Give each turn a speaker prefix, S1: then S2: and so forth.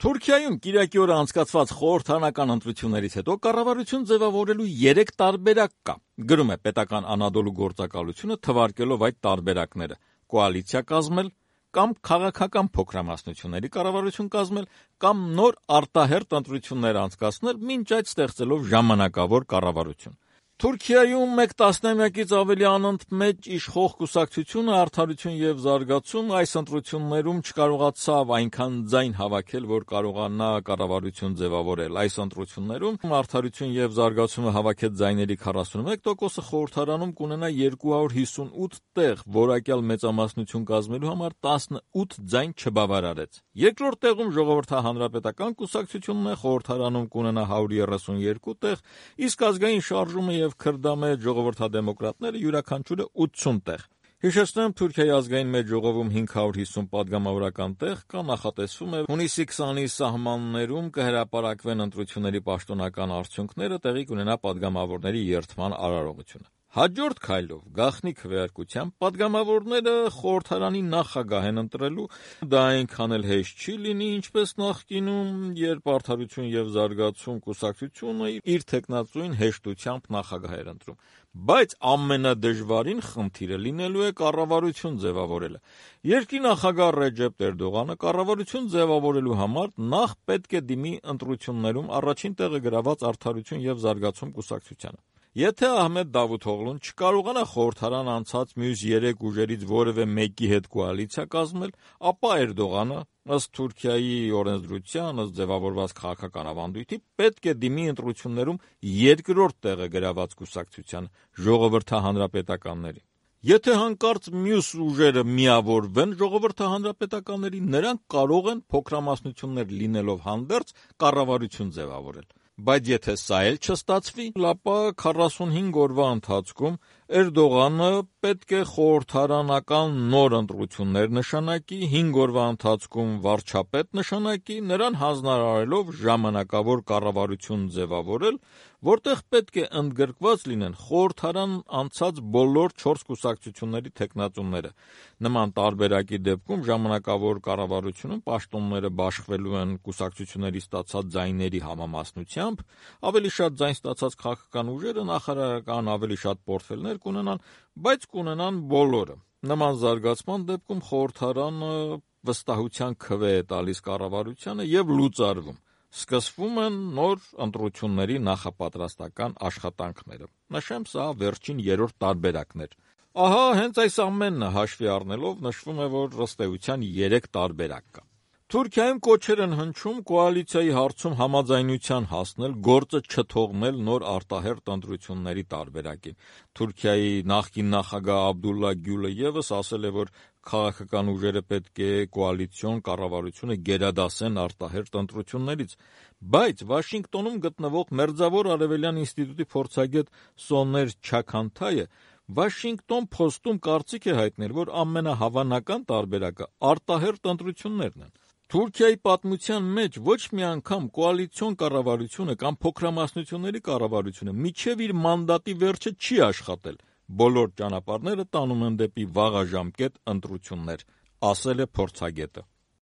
S1: Թուրքիայում կիրակի օրը անցկացված խորհրդարանական ընտրություններից հետո կառավարություն ձևավորելու 3 տարբերակ կա, գրում է պետական Անադոլու գործակալությունը, թվարկելով այդ տարբերակները՝ կոալիցիա կազմել, կամ քաղաքական փոքրամասնությունների կառավարություն կազմել, կամ նոր արտահերթ ընտրություններ անցկացնել, մինչ այդ ստեղծելով ժամանակավոր կառավարություն։ Թուրքիայում մեկ տասնամյակից ավելի անընդմեջ իշխող կուսակցությունը «Արդարություն և զարգացում» այս ընտրություններում չկարողացավ այնքան ձայն հավաքել, որ կարողանա կառավարություն ձևավորել։ Այս ընտրություններում «Արդարություն և զարգացումը» հավաքեց ձայների 41%-ը, խորհրդարանում կունենա 258 տեղ, որակյալ մեծամասնություն կազմելու համար 18 ձայն չբավարարեց։ Երկրորդ տեղում Ժողովրդահանրապետական կուսակցությունն է, խորհրդարանում կունենա 132 տեղ, իսկ Ազգային շարժումը և քրդամեջ ժողովրդադեմոկրատները յուրաքանչյուրը 80 տեղ։ Հիշեցնեմ, Թուրքիայի ազգային մեծ ժողովում 550 պատգամավորական տեղ կա, նախատեսվում է հունիսի 20-ի սահմաններում կհրապարակվեն ընտրությունների պաշտոնական արդյունքները, տեղի կունենա պատգամավորների երդման արարողությունը։ Հաջորդ քայլով, գաղտնի քվեարկությամբ, պատգամավորները խորհրդարանի նախագահ են ընտրելու, դա այնքան էլ հեշտ չի լինի, ինչպես նախկինում, երբ «Արդարություն և զարգացում» կուսակցությունը իր թեկնածուին հեշտությամբ նախագահ էր ընտրում։ Բայց ամենադժվարին խնդիրը լինելու է կառավարություն ձևավորելը։ Երկրի նախագահ Ռեջեփ Էրդողանը կառավարություն ձևավորելու համար նախ պետք է դիմի ընտրություններում առաջին տեղը գրաված «Արդարություն և զարգացում» կուսակցությանը։ Եթե Ահմեդ Դավութօղլուն չկարողանա խորհրդարան անցած մյուս 3 ուժերից որևէ մեկի հետ կոալիցիա կազմել, ապա Էրդողանը, ըստ Թուրքիայի օրենսդրության, ըստ ձևավորված քաղաքական ավանդույթի, պետք է դիմի ընտրություններում երկրորդ տեղը գրաված կուսակցությանը՝ ժողովրդահանրապետականներին։ Եթե հանկարծ մյուս ուժերը միավորվեն ժողովրդահանրապետականներին, նրանք կարող են փոքրամասնություններ լինելով հանդերձ կառավարություն ձևավորել։ Բայց եթե սա էլ չստացվի, ապա 45 օրվա ընթացքում Էրդողանը պետք է խորհրդարանական նոր ընտրություններ նշանակի, 5 օրվա ընթացքում վարչապետ նշանակի, նրան հանձնարարելով ժամանակավոր կառավարություն ձևավորել, որտեղ պետք է ընդգրկված լինեն խորհրդարան անցած բոլոր 4 կուսակցությունների թեկնածուները։ Նման տարբերակի դեպքում ժամանակավոր կառավարությունում պաշտոնները բաշխվելու են կուսակցությունների ստացած ձայների համամասնությամբ, ավելի շատ ձայն ստացած քաղաքական ուժերը նախարարական ավելի շատ պորտֆելներ կունենան, բայց կունենան բոլորը։ Նման զարգացման դեպքում խորհրդարանը վստահության քվե է տալիս կառավարությանը և լուծարվում։ Սկսվում են նոր ընտրությունների նախապատրաստական աշխատանքները։ Նշեմ, սա վերջին 3-րդ տարբերակն էր։ Ահա հենց այս ամենը հաշվի առնելով նշվում է, որ ըստ էության 3 տարբերակ կա։ Թուրքիայում կոչեր են հնչում կոալիցիայի հարցում համաձայնության հասնել, գործը չթողնել նոր արտահերթ ընտրությունների տարբերակին։ Թուրքիայի նախկին նախագահ Աբդուլլա Գյուլը ևս ասել է, որ քաղաքական ուժերը պետք է կոալիցիոն կառավարությունը գերադասեն արտահերթ ընտրություններից, բայց Վաշինգտոնում գտնվող Մերձավոր Արևելյան ինստիտուտի փորձագետ Սոներ Չաքանթայը Washington Post-ում կարծիք է հայտնել, որ ամենահավանական տարբերակը արտահերթ ընտրություններն են։ Թուրքիայի պատմության մեջ ոչ մի անգամ կոալիցիոն կառավարությունը կամ փոքրամասնությունների կառավարությունը մինչև իր մանդատի վերջը չի աշխատել։ Բոլոր ճանապարհները տանում են դեպի վաղաժամկետ ընտրություններ, ասել է փորձագետը։